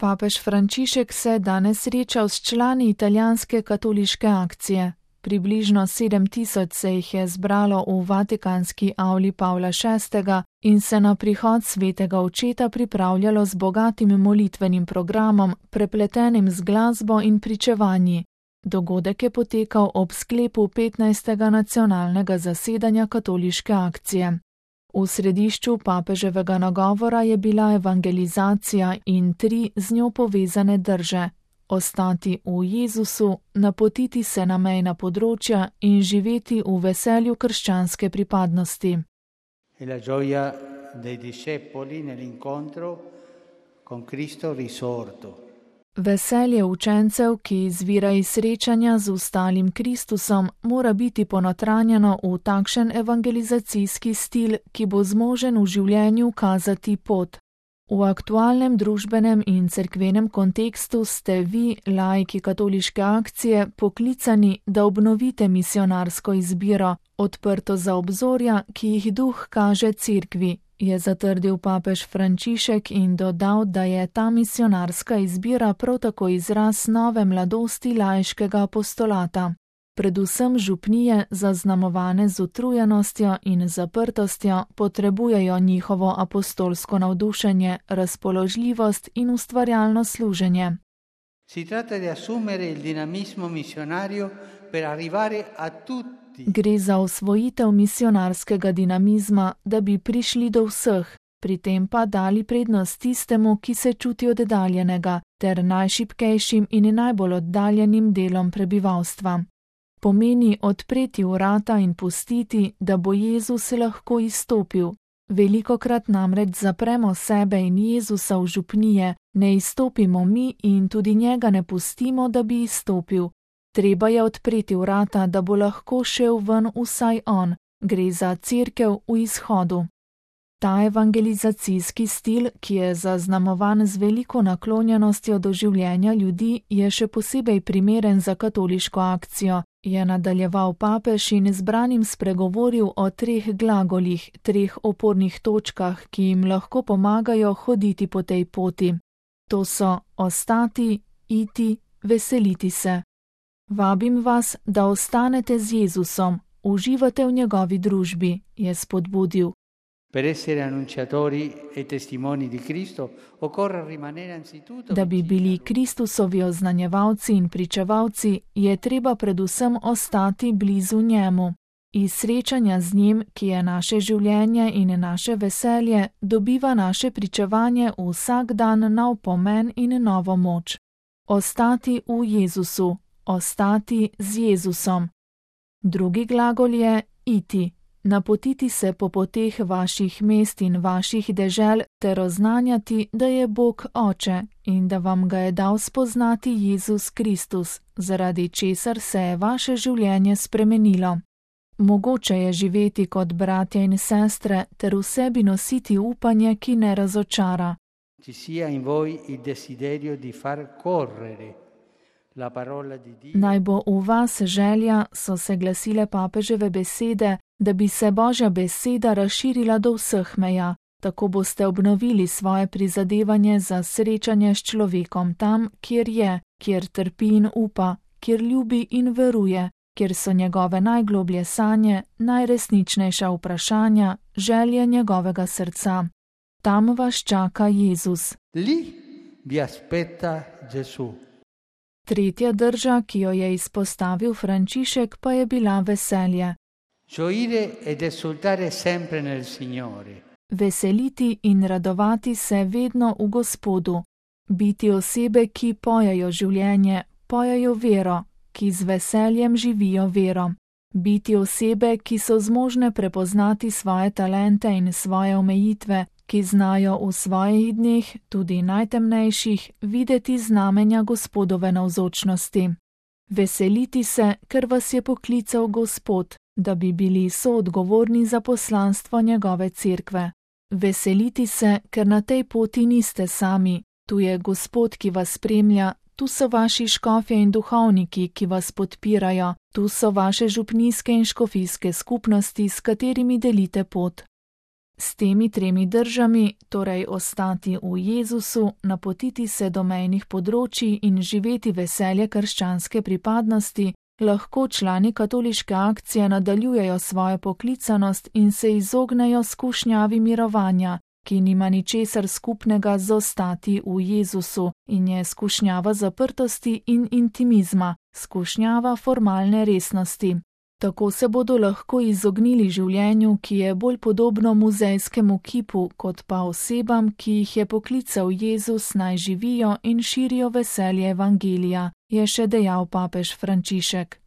Papež Frančišek se je danes srečal s člani italijanske katoliške akcije. Približno 7000 se jih je zbralo v Vatikanski avli Pavla VI. In se na prihod svetega očeta pripravljalo z bogatim molitvenim programom, prepletenim z glasbo in pričevanji. Dogodek je potekal ob sklepu 15. nacionalnega zasedanja katoliške akcije. V središču papeževega nagovora je bila evangelizacija in 3 z njo povezane drže: ostati v Jezusu, napotiti se na mejna področja in živeti v veselju krščanske pripadnosti. E la gioia dei discepoli nell'incontro con Cristo risorto. Veselje učencev, ki izvira iz srečanja z ustalim Kristusom, mora biti ponotranjeno v takšen evangelizacijski stil, ki bo zmožen v življenju kazati pot. V aktualnem družbenem in cerkvenem kontekstu ste vi, laiki katoliške akcije, poklicani, da obnovite misionarsko izbiro, odprto za obzorja, ki jih duh kaže cerkvi, je zatrdil papež Frančišek in dodal, da je ta misionarska izbira prav tako izraz nove mladosti laiškega apostolata. Predvsem župnije, zaznamovane z utrujenostjo in zaprtostjo, potrebujejo njihovo apostolsko navdušenje, razpoložljivost in ustvarjalno služenje. Si tratta di assumere il dinamismo missionario per arrivare a tutti. Gre za osvojitev misionarskega dinamizma, da bi prišli do vseh, pri tem pa dali prednost tistemu, ki se čuti oddaljenega, ter najšibkejšim in najbolj oddaljenim delom prebivalstva. Pomeni odpreti vrata in pustiti, da bo Jezus lahko izstopil. Velikokrat namreč zapremo sebe in Jezusa v župnije, ne izstopimo mi in tudi njega ne pustimo, da bi izstopil. Treba je odpreti vrata, da bo lahko šel ven vsaj on. Gre za cerkev v izhodu. Ta evangelizacijski stil, ki je zaznamovan z veliko naklonjenostjo do življenja ljudi, je še posebej primeren za katoliško akcijo, je nadaljeval papež in zbranim spregovoril o 3 glagolih, 3 opornih točkah, ki jim lahko pomagajo hoditi po tej poti. To so ostati, iti, veseliti se. Vabim vas, da ostanete z Jezusom, uživate v njegovi družbi, je spodbudil. Per essere annunciatori e testimoni di Cristo occorre rimanere anzitutto. Da bi bili Kristusovi oznanjevalci in pričevalci, je treba predvsem ostati blizu njemu. Iz srečanja z njim, ki je naše življenje in naše veselje, dobiva naše pričevanje vsak dan nov pomen in novo moč. Ostati v Jezusu, ostati z Jezusom. Drugi glagol je iti. Napotiti se po poteh vaših mest in vaših dežel ter oznanjati, da je Bog Oče in da vam ga je dal spoznati Jezus Kristus, zaradi česar se je vaše življenje spremenilo. Mogoče je živeti kot bratje in sestre ter v sebi nositi upanje, ki ne razočara. Ci sia in voi il desiderio di far correre la parola di Dio. Naj bo v vas želja, so se glasile papeževe besede, da bi se Božja beseda razširila do vseh meja. Tako boste obnovili svoje prizadevanje za srečanje s človekom tam, kjer je, kjer trpi in upa, kjer ljubi in veruje, kjer so njegove najgloblje sanje, najresničnejša vprašanja, želje njegovega srca. Tam vas čaka Jezus. Lì vi aspetta Gesù. Tretja drža, ki jo je izpostavil Frančišek, pa je bila veselje. Gioire ed esultare sempre nel Signore. Veseliti in radovati se vedno v Gospodu. Biti osebe, ki pojejo življenje, pojejo vero, ki z veseljem živijo vero. Biti osebe, ki so zmožne prepoznati svoje talente in svoje omejitve, ki znajo v svojih dneh, tudi najtemnejših, videti znamenja Gospodove navzočnosti. Veseliti se, ker vas je poklical Gospod, da bi bili soodgovorni za poslanstvo njegove cerkve. Veseliti se, ker na tej poti niste sami, tu je Gospod, ki vas spremlja, tu so vaši škofje in duhovniki, ki vas podpirajo, tu so vaše župnijske in škofijske skupnosti, s katerimi delite pot. S temi 3 držami, torej ostati v Jezusu, napotiti se do mejnih področij in živeti veselje krščanske pripadnosti, lahko člani katoliške akcije nadaljujejo svojo poklicanost in se izognejo skušnjavi mirovanja, ki nima ničesar skupnega z ostati v Jezusu in je skušnjava zaprtosti in intimizma, skušnjava formalne resnosti. Tako se bodo lahko izognili življenju, ki je bolj podobno muzejskemu kipu, kot pa osebam, ki jih je poklical Jezus, naj živijo in širijo veselje evangelija, je še dejal papež Frančišek.